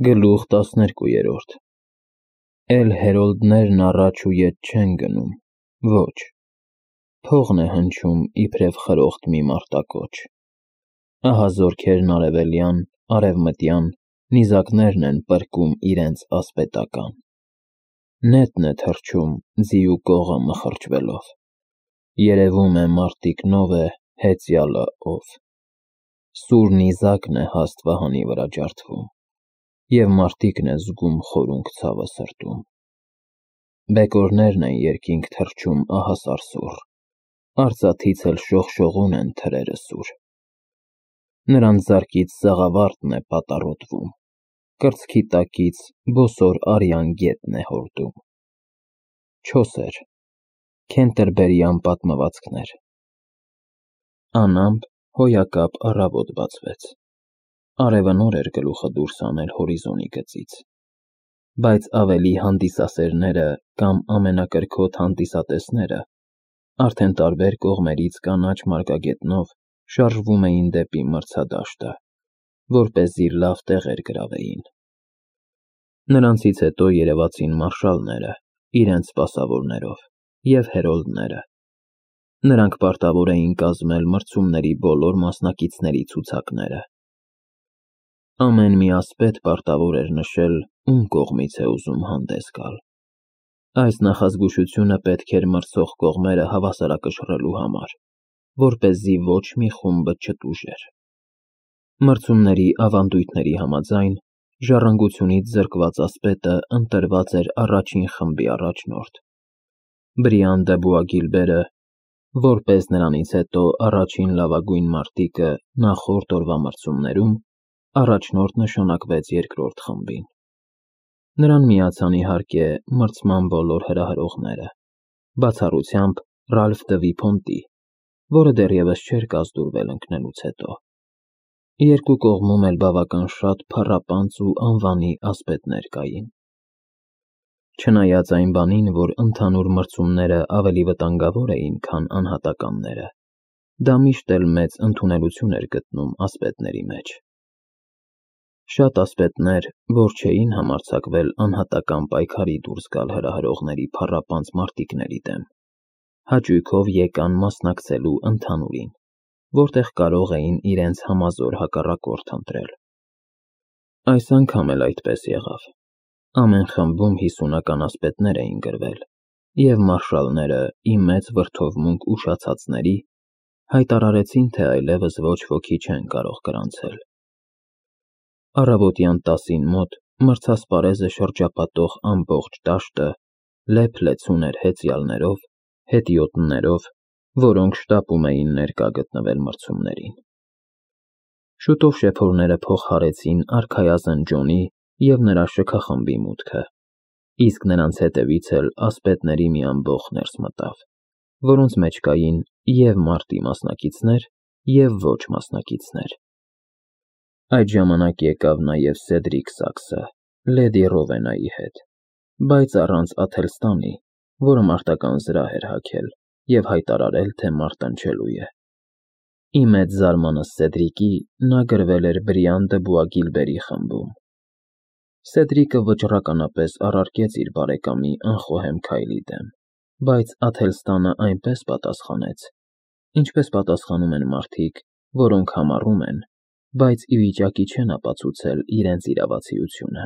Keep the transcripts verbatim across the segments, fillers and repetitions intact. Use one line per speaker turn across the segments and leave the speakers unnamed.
Գլուխ տասներկուերորդ Էլ հերոլդներն առաջ ու ետ չեն գնում, ոչ, փողն է հնչում իբրև խրոխտ մի մարտակոչ, ահա զորքերն արևելյան, արևմտյան, նիզակներն են պրկում իրենց ասպետական, նետն է թռչում ձի ու կողը մխրճվելով, երևում է մարտիկնով է հեծյալը ով, սուր նիզակն է հաստ վահանի վրա ջարդվում, և մարտիկն է զգում խորունկ ցավը սրտում, բեկորներն են երկինք թռչում ահասարսուռ, արծաթից էլ շողշողուն են թրերը սուր, նրանց ձեռքից սաղավարտն է պատառոտվում, կրծքի տակից բոսոր արյան գետն է հորդում, չոսեր, քենտերբերյան պատմվածքներ, անամպ հոյակապ առավոտ բացվեց, արևը նոր էր գլուխը դուրս հանել հորիզոնի գծից, բայց ավելի հանդիսասերները կամ ամենակրքոտ հանդիսատեսները արդեն տարբեր կողմերից կանաչ մարգագետնով շարժվում էին դեպի մրցադաշտը, որպեսզի լավ տեղեր գրավեին, նրանցից հետո երևացին մարշալները իրենց սպասավորներով և հերոլդները, նրանք պարտավոր էին կազմել մրցումների բոլոր մասնակիցների ցուցակները, ամեն մի ասպետ պարտավոր էր նշել ում կողմից է ուզում հանդես գալ, այս նախազգուշությունը պետք էր մրցող կողմերը հավասարակշռելու համար, որպեսզի ոչ մի խումբը չտուժեր, մրցումների ավանդույթների համաձայն ժառանգությունից զրկված ասպետը ընտրված էր առաջին խմբի առաջնորդ, Բրիան դը Բուագիլբերը, որպես նրանից հետո առաջին լավագույն մարտիկը նախորդ օրվա մրցումներում, առաջնորդ նշանակվեց երկրորդ խմբին, նրան միացան իհարկե մրցման բոլոր հրահրողները, բացառությամբ Ռալֆ դը Վիփոնտի, որը դեռևս չէր կազդուրվել ընկնելուց հետո, երկու կողմում էլ բավական շատ փառապանծ ու անվանի ասպետներ կային, չնայած այն բանին, որ ընդհանուր մրցումները ավելի վտանգավոր էին, քան անհատականները, դա միշտ էլ մեծ ընդունելություն էր գտնում ասպետների մեջ, շատ ասպետներ, որ չէին համարձակվել անհատական պայքարի դուրս գալ հրահրողների փառապանծ մարտիկների դեմ, հաճույքով եկան մասնակցելու ընդհանուրին, որտեղ կարող էին իրենց համազոր հակառակորդ ընտրել, այս անգամ էլ այդպես եղավ, ամեն խմբում հիսունական ասպետներ էին գրվել, և մարշալները, ի մեծ վրդովմունք ուշացածների, հայտարարեցին, թե այլևս ոչ ոքի չեն կարող գրանցել, առավոտյան տասին մոտ մրցասպարեզը շրջապատող ամբողջ դաշտը լեփ-լեցուն էր հեծյալներով, հետիոտներով, որոնք շտապում էին ներկա գտնվել մրցումներին, շուտով շեփորները փող հարեցին արքայազն Ջոնի և նրա շքախմբի մուտքը, իսկ նրանց հետևից էլ ասպետների մի ամբոխ ներս մտավ, որոնց մեջ կային և մարտի մասնակիցներ և ոչ մասնակիցներ, այդ ժամանակ եկավ նաև Սեդրիկ Սաքսը, լեդի Ռովենայի հետ, բայց առանց Աթելստանի, որը մարտական զրահ էր հագել և հայտարարել, թե մարտնչելու է, ի մեծ զարմանս Սեդրիկի, նա գրվել էր Բրիան դը Բուագիլբերի խմբում, Սեդրիկը վճռականապես առարկեց իր բարեկամի անխոհեմ քայլի դեմ, բայց Աթելստանը այնպես պատասխանեց, ինչպես պատասխանում են մարդիկ, որոնք համառում են, բայց ի վիճակի չեն ապացուցել իրենց իրավացիությունը,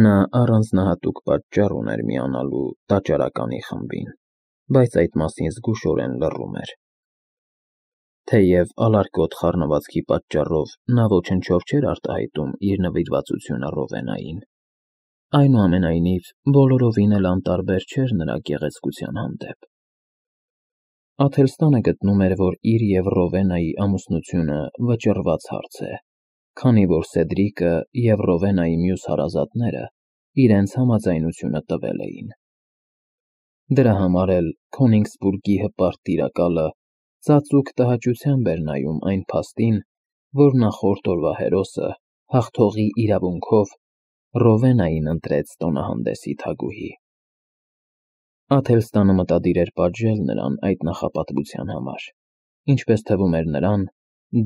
նա առանձնահատուկ պատճառ ուներ միանալու տաճարականի խմբին, բայց այդ մասին զգուշորեն լռում էր, թեև ալարկոտ խառնվածքի պատճառով նա ոչնչով չէր արտահայտում իր նվիրվածությունը Ռովենային, այնուամենայնիվ բոլորովին էլ անտարբեր չէր նրա գեղեցկության հանդեպ, Աթելստանը գտնում էր, որ իր և Ռովենայի ամուսնությունը վճռված հարց է, քանի որ Սեդրիկը և Ռովենայի մյուս հարազատները իրենց համաձայնությունը տվել էին, դրա համար էլ Քոնիգսբուրգի հպարտ տիրակալը ծածուկ տհաճությամբ էր նայում այն փաստին, որ նախորդ օրվա հերոսը հաղթողի իրավունքով Ռովենային ընտրեց տոնահանդեսի թագուհի, Աթելստանը մտադիր էր պատժել նրան այդ նախապատվության համար, ինչպես թվում էր նրան,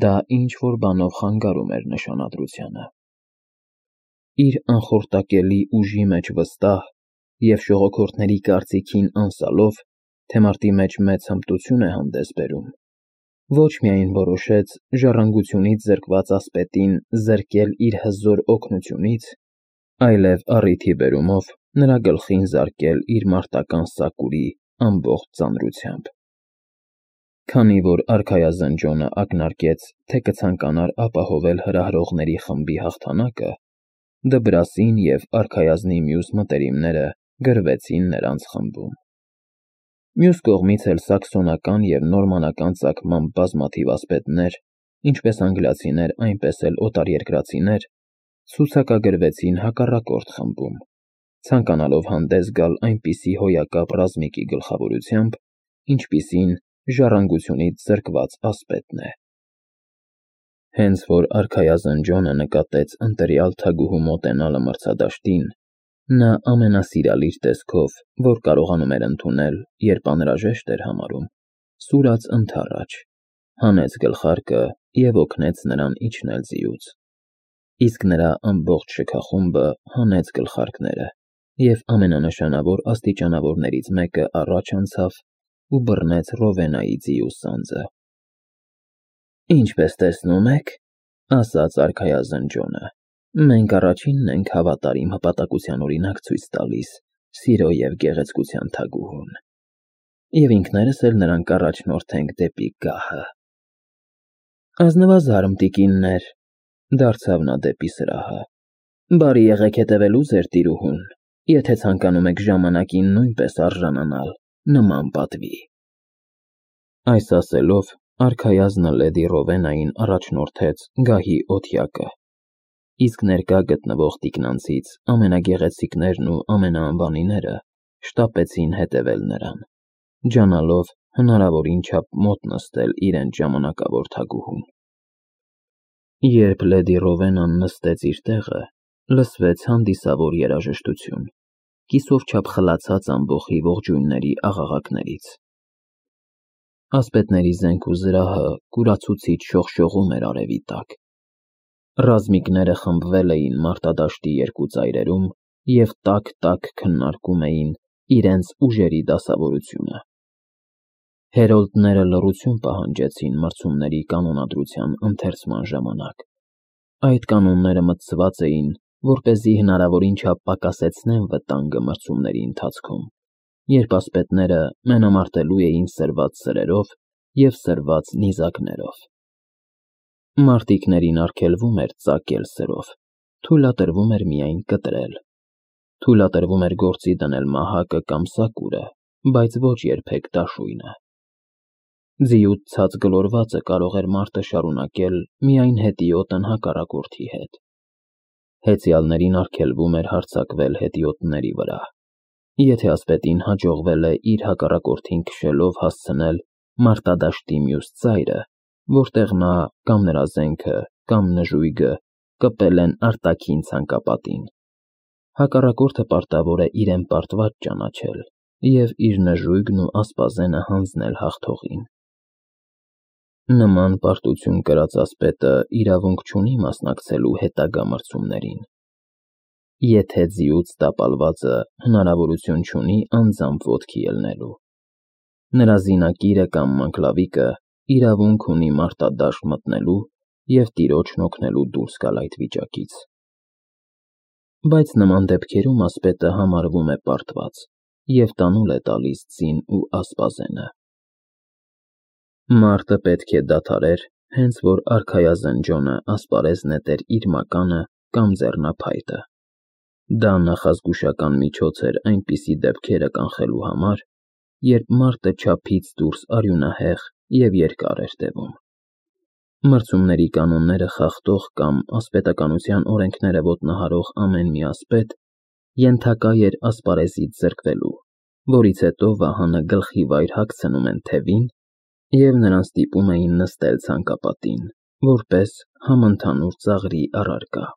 դա ինչ-որ բանով խանգարում էր նշանադրությանը, իր անխորտակելի ուժի մեջ վստահ և ժողովրդների կարծիքին անսալով, թե մարտի մեջ մեծ հմտություն է հանդես բերում, ոչ միայն որոշեց ժառանգությունից զրկված ասպետին զրկել իր հզոր օգնությունից, այլև առիթի բերումով նրա գլխին զարկել իր մարտական սակուրի ամբողջ ծանրությամբ։ Քանի որ արքայազնջոնը ակնարկեց, թե կցանկանար ապահովել հրահրողների խմբի հաղթանակը, Դբրասին և արքայազնի մյուս մտերիմները գրվեցին նրանց խմբում։ Մյուս կողմից էլ սաքսոնական և նորմանական ծագմամբ բազմաթիվ ասպետներ, ինչպես անգլիացիներ, այնպես էլ օտարերկրացիներ, ցուցակագրվեցին հակառակորդ խմբում, ցանկանալով հանդես գալ այնպիսի հոյակապ ռազմիկի գլխավորությամբ, ինչպիսին ժառանգությունից զրկված ասպետն է։ Հենց որ արքայազնջոնը նկատեց ընտրյալ թագուհու մոտենալը մրցադաշտին, նա ամենասիրալիր տեսքով, որ կարողանում էր ընդունել, երբ անհրաժեշտ էր համարում, սուրաց ընդառաջ, հանեց գլխարկը և օգնեց նրան իջնել ձիուց, իսկ նրա ամբողջ շքախումբը հանեց գլխարկները և ամենանշանավոր աստիճանավորներից մեկը առաջ անցավ ու բռնեց Ռովենայի ձիու սանձը։ «Ինչպես տեսնում եք, — ասաց արքայազնջոնը, — մենք առաջինն ենք հավատարիմ հպատակության օրինակ ցույց տալիս սիրո և գեղեցկության թագուհուն, և ինքներս էլ նրան կառաջնորդենք դեպի գահը»։ «Ազնվազարմ տիկիններ, — դարձավ նա դեպի սրահը, — բարի եղեք հետևելու ձեր տիրուհուն, եթե ցանկանում եք ժամանակին նույնպես արժանանալ նման պատվի»։ Այս ասելով, արքայազնը լեդի Ռովենային առաջնորդեց գահի օթյակը, իսկ ներկա գտնվող տիկնանցից ամենագեղեցիկներն ու ամենաանվանիները շտապեցին հետևել նրան, ջանալով հնարավորին չափ մոտ նստել իրենց ժամանակավոր թագուհուն։ Երբ լեդի Ռովենան նստեց իր տեղը, լսվեց հանդիսավոր երաժշտություն, կիսով չափ խլացած ամբոխի ողջույնների աղաղակներից։ Ասպետների զենք ու զրահը կուրացուցիչ շողշողում էր արևի տակ։ Ռազմիկները խմբվել էին մարտադաշտի երկու ծայրերում և տաք-տաք քննարկում էին իրենց ուժերի դասավորությունը։ Հերոլդները լռություն պահանջեցին մրցումների կանոնադրության ընթերցման ժամանակ։ Այդ կանոնները մտցված էին, որպեսզի հնարավորին չափ պակասեցնեն վտանգը մրցումների ընթացքում, երբ ասպետները մենամարտելու էին սրված սրերով և սրված նիզակներով։ Մարտիկներին արգելվում էր ծակել սրով, թույլատրվում էր միայն կտրել, թույլատրվում էր գործի դնել մահակը կամ սակուրը, բայց ոչ երբեք դաշույնը։ Ձիուց ցած գլորվածը կարող էր մարտը շարունակել միայն հետիոտն հակառակորդի հետ։ Հեծյալներին արգելվում էր հարձակվել հետիոտների վրա։ Եթե ասպետին հաջողվել է իր հակառակորդին քշելով հասցնել մարտադաշտի մյուս ծայրը, որտեղ նա կամ նրա զենքը, կամ նժույգը կպել են արտաքին ցանկապատին, հակառակորդը պարտավոր է իրեն պարտված ճանաչել և իր նժույգն ու ասպազենը հանձնել հաղթողին։ Նման պարտություն կրած ասպետը իրավունք չունի մասնակցելու հետագա մրցումներին, եթե ձիուց տապալվածը հնարավորություն չունի անձամբ ոտքի ելնելու։ Նրա զինակիրը կամ մանկլավիկը իրավունք ունի մարտադաշտ մտնելու և տիրոջն օգնելու դուրս գալ այդ վիճակից։ Բայց նման դեպքերում ասպետը համարվում է պարտված և տանուլ է տալիս ձին ու ասպազենը։ Մարտը պետք է դադարեր, հենց որ արքայազնջոնը ասպարեզ նետեր իր մականը կամ ձեռնափայտը։ Դա նախազգուշական միջոց էր այնպիսի դեպքերը կանխելու համար, երբ մարտը չափից դուրս արյունահեղ և երկար էր տևում։ Մրցումների կանոնները խախտող կամ ասպետականության օրենքները ոտնահարող ամեն մի ասպետ ենթակա էր ասպարեզից զրկվելու, որից հետո վահանը գլխի վայր հագցնում են թևին և նրան ստիպում էին նստել ցանկապատին, որպես համընդհանուր ծաղրի առարկա։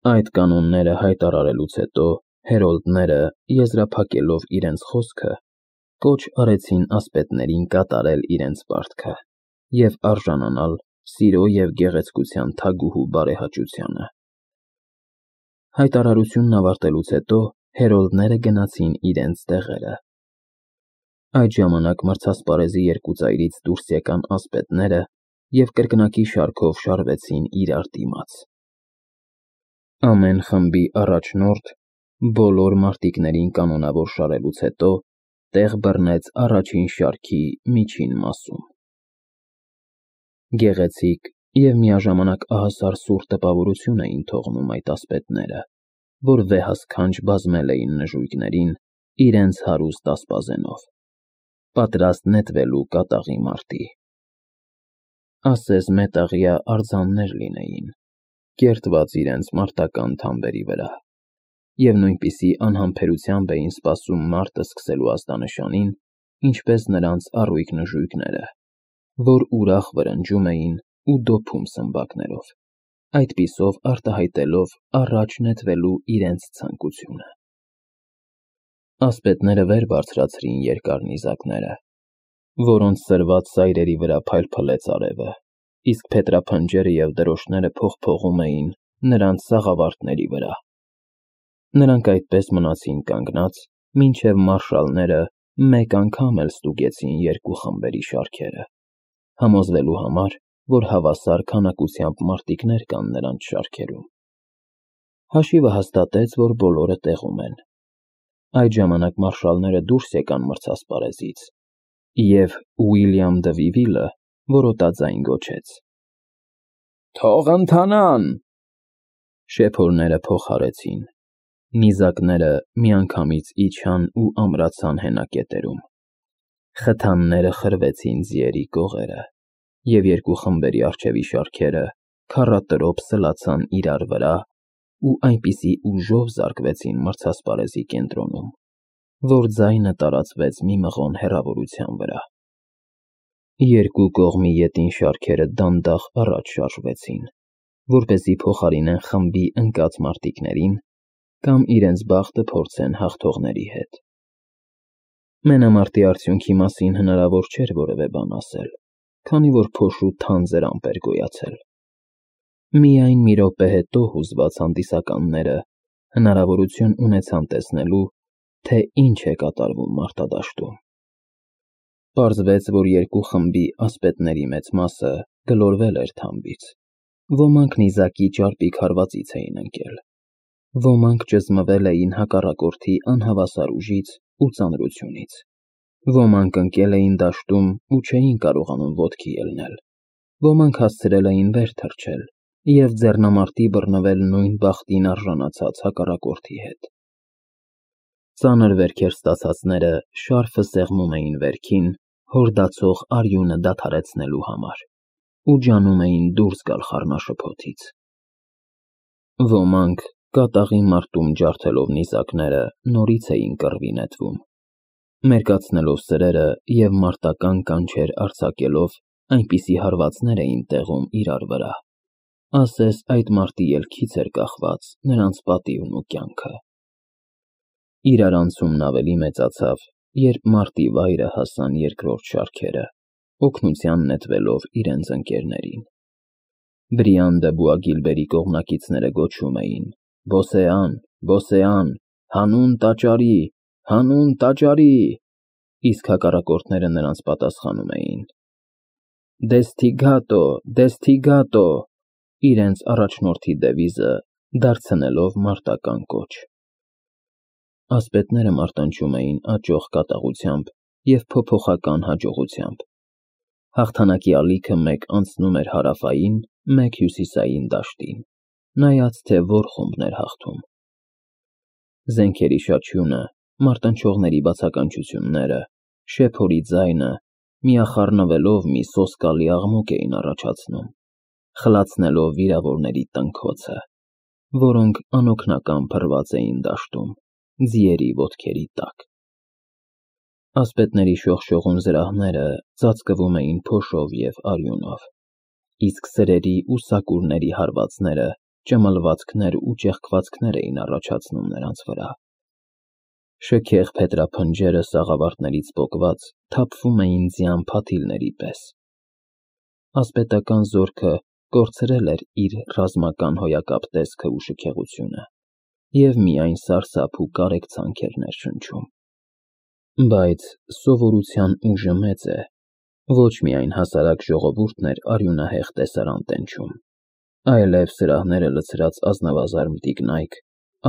Այդ կանոնները հայտարարելուց հետո հերոլդները, եզրափակելով իրենց խոսքը, կոչ արեցին ասպետներին կատարել իրենց պարտքը և արժանանալ սիրո և գեղեցկության թագուհու բարեհաճությանը։ Հայտարարությունն ավարտելուց հետո հերոլդները գնացին իրենց տեղերը։ Այդ ժամանակ մրցասպարեզի երկու ծայրից դուրս եկան ասպետները և կրկնակի շարքով շարվեցին իրար դիմաց։ Ամեն խմբի առաջնորդ, բոլոր մարտիկներին կանոնավոր շարելուց հետո, տեղ բռնեց առաջին շարքի միջին մասում։ Գեղեցիկ և միաժամանակ ահասար սուր տպավորություն էին թողնում այդ ասպետները, որ վեհասքանչ բազմել էին նժույգներին իրենց հարուստ ասպազենով, պատրաստ նետվելու կատաղի մարտի։ Ասես մետաղյա արձաններ լինեին, կերտված իրենց մարտական թամբերի վրա, և նույնպիսի անհամբերությամբ էին սպասում մարտը սկսելու ազդանշանին, ինչպես նրանց առույգ նժույգները, որ ուրախ վրնջում էին ու դոփում սմբակներով, այդպիսով արտահայտելով առաջ նետվելու իրենց ցանկությունը։ Ասպետները վեր բարձրացրին երկար նիզակները, որոնց սրված սայրերի վրա փայլփլեց արևը, իսկ փետրափնջերը և դրոշները փողփողում էին նրանց սաղավարտների վրա։ Նրանք այդպես մնացին կանգնած, մինչև մարշալները մեկ անգամ էլ ստուգեցին երկու խմբերի շարքերը, համոզվելու համար, որ հավասար քանակությամբ մարտիկներ կան նրանց շարքերում։ Հաշիվը հաստատեց, որ բոլորը տեղում են։ Այդ ժամանակ մարշալները դուրս եկան մրցասպարեզից, և Ուիլյամ դը Վիվիլը որոտաձայն գոչեց. «Թող ընթանան»։ Շեփորները փոխարեցին, նիզակները միանգամից իջան ու ամրացան հենակետերում, խթանները խրվեցին ձիերի կողերը, և երկու խմբերի առջևի շարքերը քառատրոփ սլացան իրար վրա ու այնպիսի ուժով զարկվեցին մրցասպարեզի կենտրոնում, որ ձայնը տարածվեց մի մղոն հեռավորության վրա։ Երկու կողմի ետին շարքերը դանդաղ առաջ շարժվեցին, որպեսզի փոխարինեն խմբի ընկած մարտիկներին կամ իրենց բախտը փորձեն հաղթողների հետ։ Մենամարտի արդյունքի մասին հնարավոր չէր որևէ բան ասել, քանի որ փոշու թանձր ամպ էր գոյացել։ Միայն մի րոպե հետո հուզված հանդիսականները հնարավորություն ունեցան տեսնելու, թե ինչ է կատարվում մարտադաշտում։ Պարզվեց, որ երկու խմբի ասպետների մեծ մասը գլորվել էր թամբից, ոմանք նիզակի ճարպիկ հարվածից էին ընկել, ոմանք ճզմվել էին հակառակորդի անհավասար ուժից ու ծանրությունից, ոմանք ընկել էին դաշտում ու չէին կարողանում ոտքի ելնել, ոմանք հասցրել էին վեր թռչել և ձեռնամարտի բռնվել նույն բախտին արժանացած հակառակորդի հետ։ Ծանր վերքեր ստացածները շարֆը սեղմում էին վերքին հորդացող արյունը դադարեցնելու համար ու ջանում էին դուրս գալ խառնաշփոթից։ Ոմանք, կատաղի մարտում ջարդելով նիզակները, նորից էին կռվի նետվում, մերկացնելով սրերը և մարտական կանչեր արձակելով այնպիսի հարվածներ էին տեղում իրար վրա, ասես այդ մարտի ելքից էր կախված նրանց պատիվն ու կյանքը։ Իրարանցումն ավելի մեծացավ, երբ մարտի վայրը հասան երկրորդ շարքերը, օգնության նետվելով իրենց ընկերներին։ Բրիան դը Բուագիլբերի կողմնակիցները գոչում էին. «Բոսեան, Բոսեան, հանուն տաճարի, հանուն տաճարի», իսկ հակառակորդները նրանց պատասխանում էին. «Դեսթիգատո, Դեսթիգատո», իրենց առաջնորդի դևիզը դարձնելով մարտական կոչ։ Ասպետները մարտնչում էին աճող կատաղությամբ և փոփոխական հաջողությամբ։ Հաղթանակի ալիքը մեկ անցնում էր հարավային, մեկ հյուսիսային դաշտին, նայած թե որ խումբն էր հաղթում։ Զենքերի շաչյունը, մարտնչողների բացականչությունները, շեփորի ձայնը միախառնվելով մի սոսկալի աղմուկ էին առաջացնում, խլացնելով վիրավորների տնքոցը, որոնք անօգնական փռված էին դաշտում, ձիերի ոտքերի տակ։ Ասպետների շողշողուն զրահները ծածկվում էին փոշով և արյունով, իսկ սրերի ու սակուրների հարվածները ճմլվածքներ ու ճեղքվածքներ էին առաջացնում նրանց վրա։ Շքեղ փետրափնջերը սաղավարտներից պոկված թափվում էին ձյան փաթիլների պես։ Ասպետական զորքը կորցրել էր իր ռազմական հոյակապ տեսքը ու շքեղությունը, և միայն սարսափ ու կարեկցանք էր ներշնչում։ Բայց սովորության ուժը մեծ է, ոչ միայն հասարակ ժողովուրդն էր արյունահեղ տեսարան տենչում, այլև սրահները լցրած ազնվազարդ տիկնայք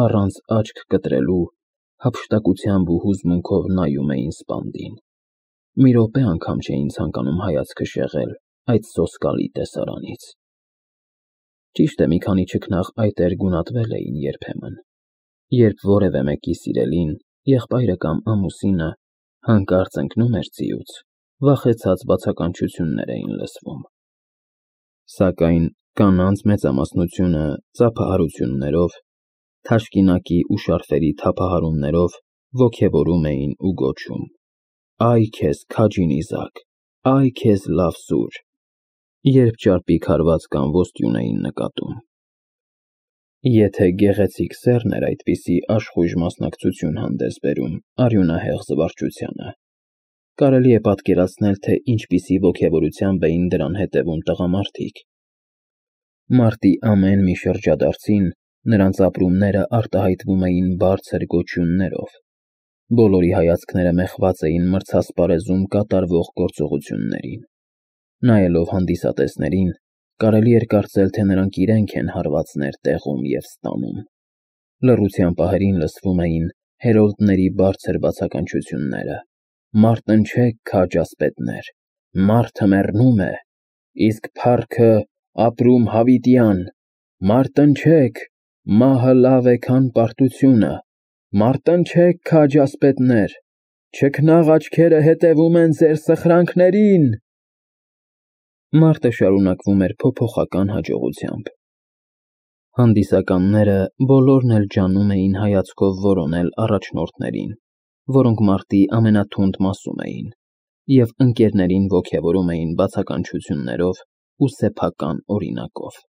առանց աչք կտրելու հափշտակությամբ ու հուզմունքով նայում էին սպանդին, մի րոպե անգամ չէին ցանկանում հայացքը շեղել այդ սոսկալի տեսարանից։ Ճիշտ է, մի քանի չքնաղ այտեր գունատվել էին երբեմն, երբ որևէ մեկի սիրելին, եղբայրը կամ ամուսինը հանկարծ ընկնում էր ձիուց, վախեցած բացականչություններ էին լսվում։ Սակայն կանանց մեծամասնությունը ծափահարություններով, թաշկինակի ու շարֆերի թափահարումներով ոգևորում էին ու գոչում. «Այ քեզ քաջի նիզակ, այ քեզ լավ սուր», երբ ճարպիկ հարված կամ ոստյուն էին նկատում։ Եթե գեղեցիկ սեռն էր այդպիսի աշխույժ մասնակցություն հանդես բերում արյունահեղ զվարճությանը, կարելի է պատկերացնել, թե ինչպիսի ոգևորությամբ էին դրան հետևում տղամարդիկ։ Մարտի ամեն մի շրջադարձին նրանց ապրումները արտահայտվում էին բարձր գոչյուններով, բոլորի հայացքները մեխված էին մրցասպարեզում կատարվող գործողություններին։ Նայելով հանդիսատեսներին, կարելի էր կարծել, թե նրանք իրենք են հարվածներ տեղում և ստանում։ Լռության պահերին լսվում էին հերոլդների բարձր բացականչությունները. «Մարտնչեք, քաջ ասպետներ, մարդը մեռնում է, իսկ փառքը ապրում հավիտյան, մարտնչեք, մահը լավ է, քան պարտությունը, մարտնչեք, քաջ ասպետներ, չքնաղ աչքերը հետևում են ձեր սխրանքներին»։ Մարտը շարունակվում էր փոփոխական հաջողությամբ։ Հանդիսականները բոլորն էլ ջանում էին հայացքով որոնել առաջնորդներին, որոնք մարտի ամենաթունդ մասում էին, և ընկերներին ոգևորում էին բացականչություններով ու սեփական օրինակով։